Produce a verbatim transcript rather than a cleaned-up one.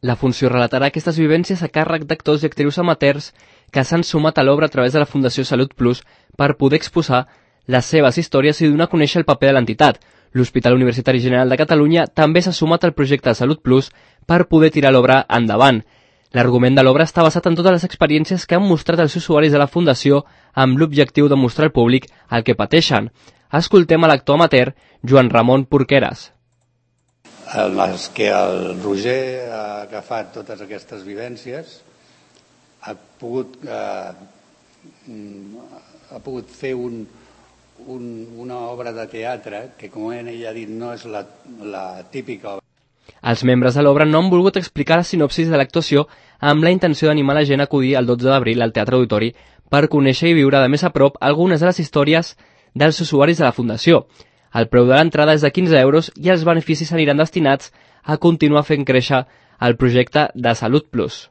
La funció relatarà aquestes vivències a càrrec d'actors i actrius amateurs que s'han sumat a l'obra a través de la Fundació Salut Plus per poder exposar les seves històries i donar a conèixer el paper de l'entitat. L'Hospital Universitari General de Catalunya també s'ha sumat al projecte de Salut Plus per poder tirar l'obra endavant. L'argument de l'obra està basat en totes les experiències que han mostrat els usuaris de la Fundació amb l'objectiu de mostrar al públic el que pateixen. Escoltem a l'actor amateur Joan Ramon Porqueres. En les que el Roger ha agafat totes aquestes vivències, ha pogut, eh, ha pogut fer un, un, una obra de teatre que, com ell ha dit, no és la, la típica obra. Els membres de l'obra no han volgut explicar la sinopsis de l'actuació amb la intenció d'animar la gent a acudir el dotze d'abril al Teatre Auditori per conèixer i viure de més a prop algunes de les històries dels usuaris de la Fundació. El preu de l'entrada és de quinze euros i els beneficis aniran destinats a continuar fent créixer el projecte de Salut Plus.